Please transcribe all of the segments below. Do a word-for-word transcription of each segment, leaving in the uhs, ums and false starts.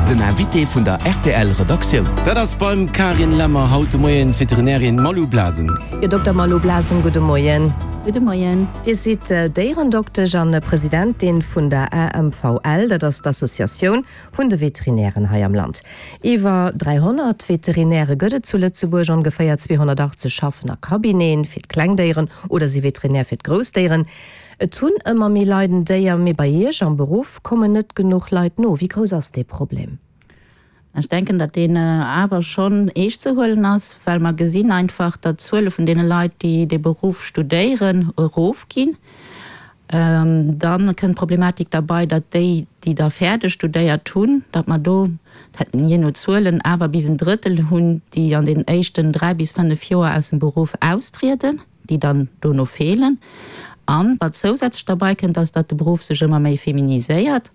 Den Invité vun der R T L Redaktioun. Dat ass beim Karin Lemmer haut de Moien d'Veterinärin Malou Blasen. Jo, Dokter Malou Blasen, gudde Moien. Gudde Moien. Dir sidd Déierendoktesch an Presidentin vun der A M V L, dat ass d'Associatioun vun de Veterinären hei am Land. Iwwer dräihonnert Veterinäre gëtt et zu Lëtzebuerg, ongeféier zweehonnertachtzeg schaffen a Cabineten fir d'Klengdéieren oder si Veterinär fir d'Groussdéieren. Et hunn ëmmer méi Leit en Déier, mee bei Iech am Beruff kommen net genuch Leit no. Wéi grouss ass dee Problem? Ech denken, datt deen awer schonn eescht ze huelen ass, well mer gesinn einfach, datt d'Zuele vun deene Leit, déi dee Beruff studéieren, erofginn. Dann kënnt d'Problematik derbei, datt déi, déi da fäerdeg studéiert hunn, datt mer do, jee no Zuelen, awer bis en Drëttel hunn, déi an den éischten dräi bis fënnef Joer aus dem Beruff austrieden, déi dann dono feelen. An wat zousätzlech derbei kënnt, ass, datt de Beruff sech ëmmer méi feminiséiert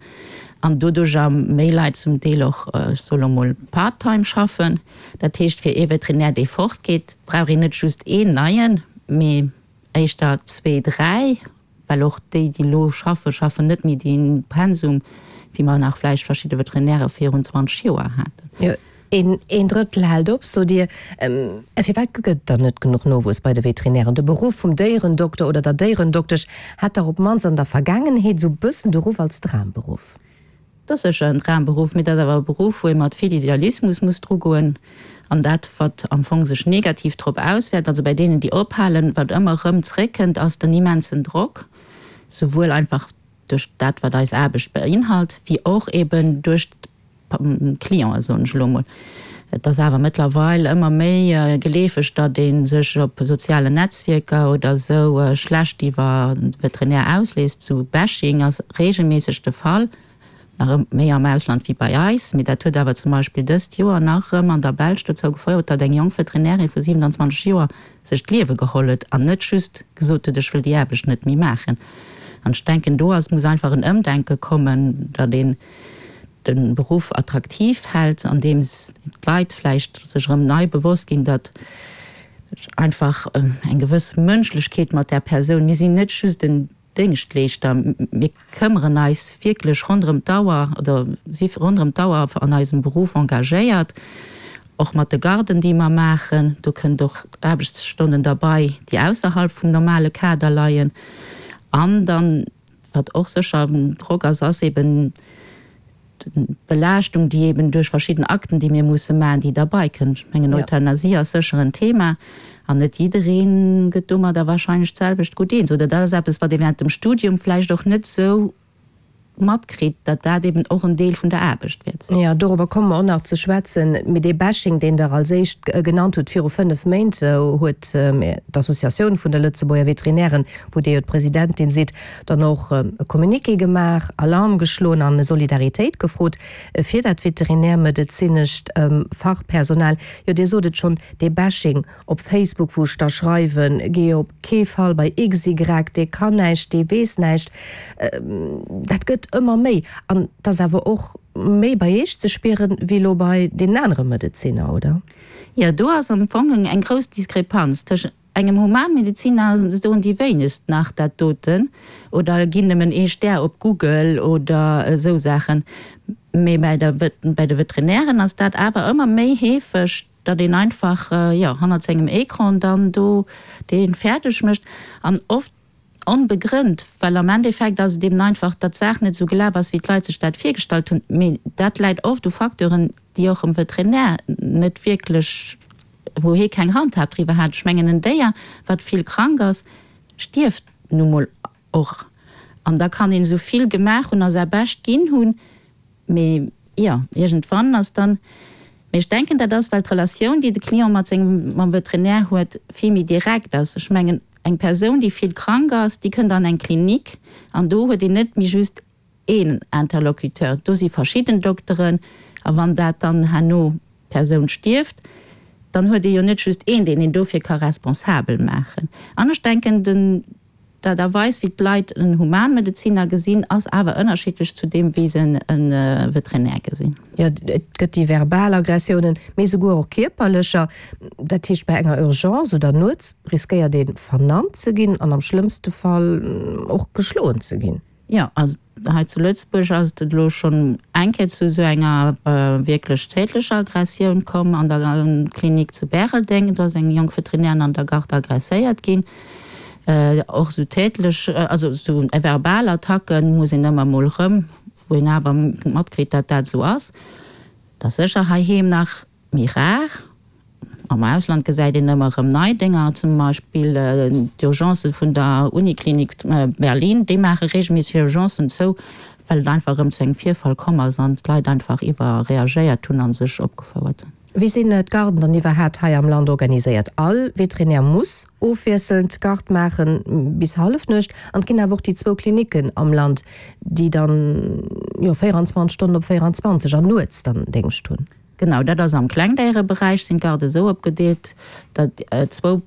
an doduercher méi Leit zum Deel och, ech soe lo mol, part-time schaffen. Dat heescht, fir ee Veterinär, dee fortgeet, brauch een net just een neien, mee éischter zwee, dräi, well och déi, déi elo schaffen, schaffen net méi dee Pensum, wéi mer nach vläicht verschidde Veterinäre virun zwanzeg Joer haten. Jo, een, een Drëttel hält op, sot Dir. Firwat gëtt et dann net genuch Nowuess bei de Veterinären? De Beruff vum Déierendokter oder der Déierendoktesch hat dach op d'mannst an der Vergaangenheet esou bëssen de Ruff als Dramberuff. Dat ass sécher en Dramberuff, mee dat ass awer e Beruff, wou ee mat vill Idealismus muss drugoen. An dat, wat am Fong sech negativ drop auswäert, also bei deenen, déi ophalen, wat ëmmer erëm zréckkënnt, ass den immensen Drock, souwuel einfach duerch dat, wat eis Aarbecht beinhalt, wéi och eben duerch d'Clienten, soen ech elo mol. Et ass awer mëttlerweil ëmmer méi geleefeg, datt ee sech op sozialen Netzwierker oder esou schlecht iwwer de Veterinär ausléisst. Sou Bashing ass reegelméisseg de Fall, nach méi am Ausland wéi bei eis. Mee dat huet awer zum Beispill dëst Joer nach erëm an der Belsch dozou gefouert, datt eng jonk Veterinärin vu siewenanzwanzeg Joer sech d'Liewe geholl huet an net just gesot huet, ech wëll déi Aarbecht net méi maachen. An ech denken, do ass, muss einfach en Ëmdenke kommen, datt een de Beruff attraktiv hält, andeems d'Leit vläicht sech erëm nei bewosst ginn, datt einfach eng gewëss Mënschlechkeet mat där Persoun, mir sinn net just en Déngschtleeschter, mir këmmeren eis wierklech ronderëm d'Auer oder si ronderëm d'Auer an eisem Beruff engagéiert, och mat de Garden, déi mer maachen. Do kënnt och Aarbechtsstonnen derbei, déi ausserhalb vum normale Kader leien. An dann, wat och sécher Drock ass, ass eben d'Belaaschtung, déi eben duerch verschidden Akten, déi mir musse maachen, déi derbei kënnt. Ech mengen, Euthanasie ass sécher en Thema an net jidderee gëtt domadder wahrscheinlech d'selwecht gutt eens. Oder dat ass eppes, wat ee während dem Studium vläicht och net esou matkritt, datt dat eben och en Deel vun der Aarbecht wäert sinn. Jo, dorobber komme mer och nach ze schwätzen. Mee dee Bashing, deen Der als éischt genannt hutt, viru fënnef Méint huet d'Associatioun vun de Lëtzebuerger Veterinären, wou Dir jo d'Presidentin sidd, dann och e Communiqué gemaach, Alarm geschloen an Solidaritéit gefrot fir dat veterinärmedezinescht Fachpersonal. Jo, Dir sot et schonn, dee Bashing op Facebook, wou ech da schreiwen, Géi op kee Fall bei X Y, dee kann näischt, dee weess näischt, dat gëtt ëmmer méi. An et ass awer och méi bei Iech ze spieren, wéi elo bei deenen anere Medezinner, oder? Jo, do ass am Fong eng grouss Diskrepanz tëschent engem Humanmedeziner, soen déi wéinegst nach dat doten oder ginn nëmmen ee Stär op Google oder esou Saachen. Mee bei der, bei de Veterinären ass dat awer ëmmer méi heefeg, datt een einfach, jo, hannert sengem Ecran dann do dee fäerdeg mécht an oft onbegrënnt, well am Endeffekt ass et eben einfach, datt d'Saach net esou gelaf ass, wéi d'Leit sech dat virgestallt hunn. Mee dat läit oft u Facteuren, déi och em Veterinär net wierklech, wou hie keng Handhab driwwer hat. Ech mengen, en Déier, wat vill krank ass, stierft nu mol och. An da kann een esou vill gemaach hunn a säi Bescht ginn hunn, mee jo, iergendwann ass dann, mee ech denken, dat ass, well d'Relatioun, déi de Client mat sengem, mam Veterinär huet, vill méi direkt ass. Ech mengen, eng Persoun, déi vill krank ass, déi kënnt an eng Klinik an do huet een net méi just een Interlocuteur, do si verschidden Dokteren a wann dat dann herno d'Persoun stierft, dann huet ee jo net just een, deen een dofir ka responsabel maachen. An ech denken, den d'Aart a Weis, wéi d'Leit en Humanmedeziner gesinn, ass awer ënnerschiddlech zu deem, wéi se e Veterinär gesinn. Jo, et gëtt déi verbal Aggressiounen, mee souguer och kierperlecher. Dat heescht, bei enger Urgence oder nuets riskéiert ee vernannt ze ginn an am schlëmmste Fall och geschloen ze ginn. Jo, also Hei zu Lëtzebuerg ass et elo schonn eng Kéier zu esou enger wierklech tätlecher Aggressioun komm an der Klinik zu Bäreldeng. Do ass eng jonk Veterinärin an der Garde aggresséiert ginn. Och esou tätlech, also esou verbal Attacken muss een ëmmer mol erëm, wou een awer matkritt, datt dat esou ass. Et ass sécher heiheem nach méi rar. Am Ausland gesäit een ëmmer erëm nei Dénger, zum Beispill d'Urgencë vun der Uniklinik Berlin, déi maache reegelméisseg hir Urgencen zou, well et einfach erëm zu engem Virfall komm ass an d'Leit einfach iwwerreagéiert hunn a sech opgefouert hunn. Wéi sinn d'Garden dann iwwerhaapt hei am Land organiséiert? All Veterinär muss ofwiesselnd Garde maachen bis Hallefnuecht an et ginn awer och déi zwou Klinicken am Land, déi dann jo véierundzwanzeg Stonnen op véierundzwanzeg an nuets dann Déngscht hunn. Genau, dat ass am Klengdéiereberäich sinn d'Garde esou opgedeelt, datt zwou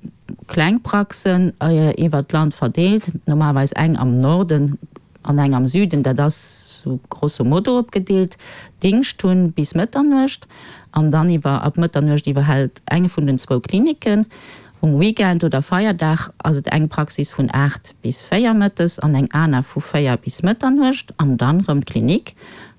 kleng Praxen iwwert d'Land verdeelt, normalerweis eng am Norden an eng am Süden, dat ass sou grosso modo opgedeelt, Dingscht hunn bis Mëtternuecht an dann iwwer ab Mëtternuecht iwwerhält eng vun den zwou Klinicken. Um Weekend oder Feierdag ass et eng Praxis vun aacht bis véier mëttes an eng aner vu véier bis Mëtternuecht an dann erëm d'Klinik.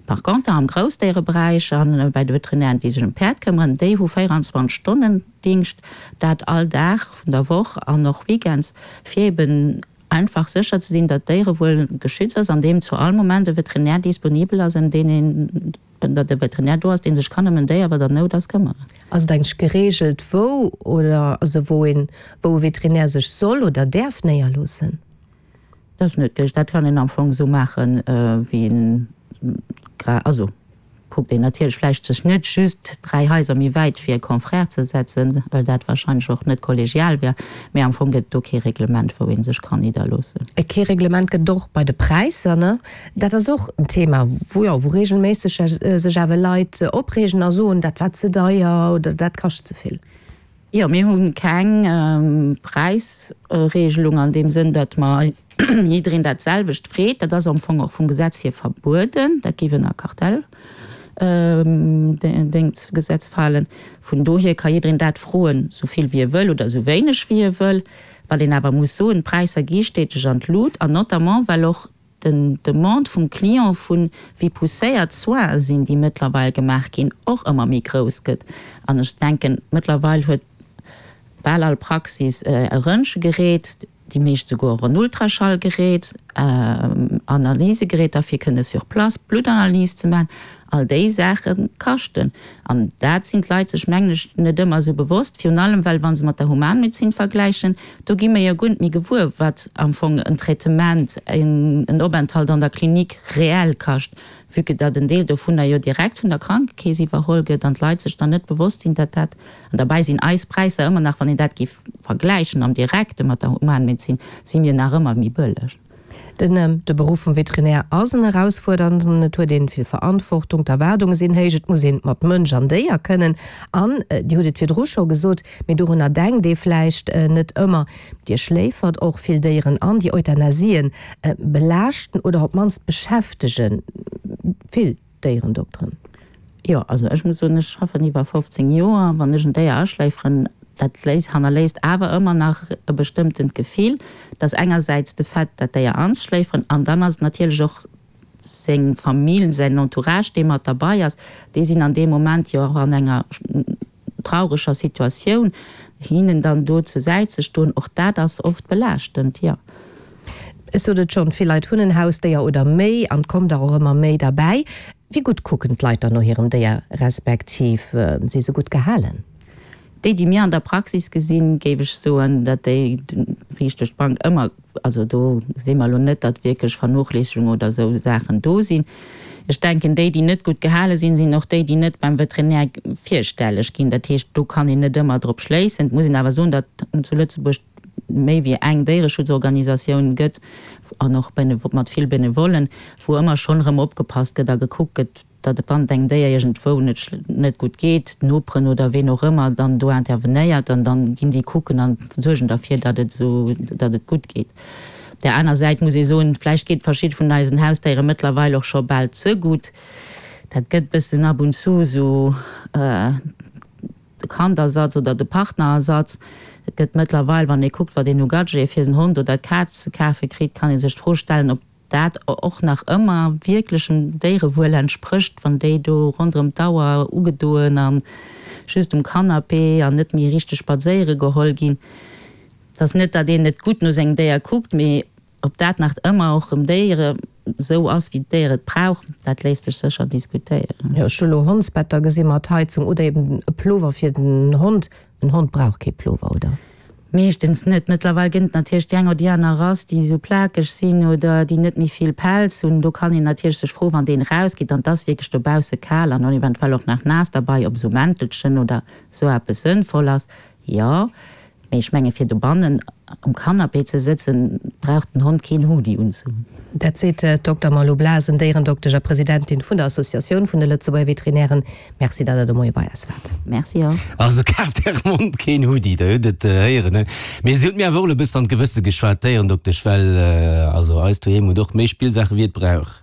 Par conter am Groussdéiereberäich a bei de Veterinären, déi sech ëm d'Päerd këmmeren, déi hu véierundzwanzeg Stonnen Dingscht, dat all Dag vun der Woch an och weekends, fir eben einfach sécher ze sinn, datt d'Déierewuel geschützt ass, an deem zu all Moment e Veterinär disponibel ass, ëm deen een, datt e Veterinär do ass, dee sech kann ëm en Déier, wat an Nout ass, këmmeren. Ass et eigentlech gereegelt, wou oder also wou een, wou e Veterinär sech soll oder däerf néierloossen? Dat ass net gereegelt. Dat kann een am Fong esou maachen, wéi een gra, also kuckt een natierlech vläicht sech net just dräi Haiser méi wäit fir e Confrère ze setzen, well dat wahrscheinlech och net kollegial wär, mä am Fong gëtt et do kee Reglement, wou ee sech kann nidderloossen. Kee Reglement gëtt et och bei de Präisser, ne? Dat ass och en Thema, wou, jo, wou regelméisseg sech awer Leit opreegen a soen, dat war ze deier oder dat kascht ze vill. Jo, mir hu keng Präisregelung an deem Sënn, datt mer jiddereen dat selwecht freet. Dat ass am Fong och vum Gesetz hier verbueden. Dat géif ënner Kartellgesetz falen. Vun dohier ka jiddereen dat froen, esou vill wéi e wëll oder esou wéineg wéi e wëll. Wat een awer muss soen, d'Präisser gi steteg an d'Lut, an notamment well och den Demande vum Client vu wéi pousséiert d'Soinen sinn, déi mëttlerweil gemaach ginn, och ëmmer méi grouss gëtt. An ech denken, mëttlerweil huet bal all Praxis e Röntgegerät, déi meescht souguer och en Ultraschallgerät, Analysegeräter fir kënne sur place Bluttanalyse ze maachen. All déi Saache kaschten. An dat sinn d'Leit sech, mengen ech, net ëmmer esou bewosst, virun allem well, wa se mat der Humanmedezin vergläichen, do gi mir jo guer net méi gewuer, wat am Fong en Traitement, en Openthalt an der Klinik reell kascht, vue que datt en Deel dovunner jo direkt vun der Krankekeess iwwerholl gëtt an d'Leit sech dann net bewosst sinn, datt dat, an derbäi sinn eis Präisser ëmmer nach, wann een dat géif vergläichen am Direkte mat der Humanmedezin, si mir nach ëmmer méi bëlleg. Den de Beruff vum Veterinär ass en erausfuerdernden, et huet een vill Verantwortung, d'Erwaardunge sinn héich, et muss een mat Mënsch an Déier kënnen an, Dir hutt et virdru scho gesot, mee dorunner denkt ee vläicht net ëmmer, Dir schléifert och vill Déieren an, déi Euthanasien belaaschten oder op d'mannst beschäftege vill Déierendokteren. Jo, also ech muss soen, ech schaffen iwwer fofzéng Joer. Wann ech en Déier aschléiferen, dat léisst, hannerléisst awer ëmmer nach e bestëmmtent Gefill. Dat ass engersäits de Fait, dat Déier anzeschléiferen, an dann ass et natierlech och seng Famill, säin Entourage, dee mat derbei ass. Déi sinn an deem Moment jo och an enger traureger Situatioun. Hinnen dann do zur Säit ze stoen, och dat ass oft belaaschtend, jo. Ech sot et schonn, vill Leit hunn en Hausdéier oder méi an et kommt der och ëmmer méi derbäi. Wéi gutt kucken d'Leit dann no hirem Déier, respektiv si se gutt gehalen? Déi, déi mir an der Praxis gesinn, géif ech soen, datt déi riicht duerch d'Bank ëmmer, also do gesi mer elo net, datt wierklech Vernochléissegung oder esou Saachen do sinn. Ech denken, déi, déi net gutt gehale sinn, sinn och déi, déi net beim Veterinär virstelleg ginn. Dat heescht, do kann een net ëmmer drop schléissen. Et muss een awer soen, datt zu Lëtzebuerg méi wéi eng Déiereschutzorganisatioun gëtt an och mat vill Benevollen, wou ëmmer schonn erëm opgepasst gëtt a gekuckt gëtt, datt wann et engem Déier iergendwou net net gutt geet, d'Noperen oder ween och ëmmer dann do intervenéiert an dann ginn déi kucken an suergen derfir, datt et esou, datt et gutt geet. Op där aner Säit muss ee soen, vläicht geet verschidde vun eisen Hausdéiere mëttlerweil och scho bal ze gutt. Dat gëtt bëssen ab und zu esou de Kandersatz oder de Partnerersatz. Et gëtt mëttlerweil, wann ee kuckt, wat een u Gadgete fir den Hond oder d'Kaz ze kafe kritt, kann ee sech d'Fro stellen, ob dat och nach ëmmer wierklechem Déierewuel entsprécht, wann déi do ronderëm d'Auer ugedoen a just um Canapé an net méi richteg spadséiere geholl ginn. Et ass net, datt een net gutt no sengem Déier kuckt, mee ob dat nach ëmmer och dem Déiere esou ass, wéi d'Déier et brauch, dat léisst sech sécher diskutéieren. Jo, ech hu lo Hondsbetter gesi mat Heizung oder eben e Plover fir den Hond. En Hond brauch kee Plover, oder? Meeschtens net. Mëttlerweil gënn et natierlech déi eng oder déi aner Rass, déi esou plakeg sinn oder déi net méi vill Pelz hunn. Do kann een natierlech sech froen, wann deen erausgeet an et ass wierklech dobausse kal an eventuell och nach naass derbei, ob esou Mäntelchen oder esou eppes sënnvoll ass. Jo, mee ech menge fir dobannen um Canapé ze sëtzen, brauch den Hond keen Hoodie unzehunn. Dat seet d'Dokter Malou Blasen, Déierendoktesch a Presidentin vun der Associatioun vun de Lëtzebuerger Veterinären. Merci, datt Der de Moie bei eis waart. Merci och. Also kaaft Ärem Hond keen Hoodie, der hutt et héieren, ne? Mee si huet mir awer och elo e bëssen an d'Gewësse geschwat, d'Déierendoktesch, well also eist doheem huet och méi Spillsaache wéi et brauch.